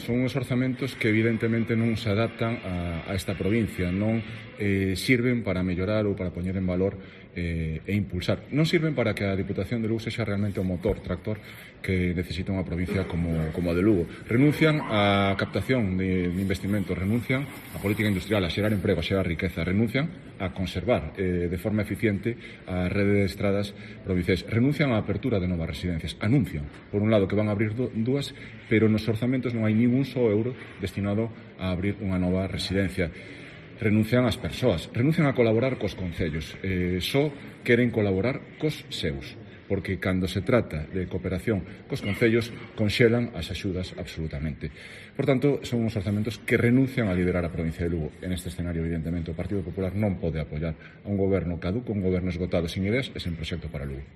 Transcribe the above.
Son uns orzamentos que evidentemente non se adaptan a esta provincia, non sirven para mellorar ou para poñer en valor e impulsar. Non sirven para que a Diputación de Lugo sexa realmente o motor tractor que necesita unha provincia como a de Lugo. Renuncian á captación de investimentos, renuncian á política industrial, a xerar emprego, a xerar riqueza, renuncian a conservar de forma eficiente a rede de estradas provinciais, renuncian á apertura de novas residencias, anuncian, por un lado, que van a abrir dúas, pero nos orzamentos non hai ningún só euro destinado a abrir unha nova residencia. Renuncian ás persoas, renuncian a colaborar cos concellos, só queren colaborar cos seus, porque cando se trata de cooperación cos concellos conxelan as axudas absolutamente. Por tanto, son uns orzamentos que renuncian a liderar a provincia de Lugo. En este escenario, evidentemente, o Partido Popular non pode apoiar a un goberno caduco, un goberno esgotado, sin ideas e sen proxecto para Lugo.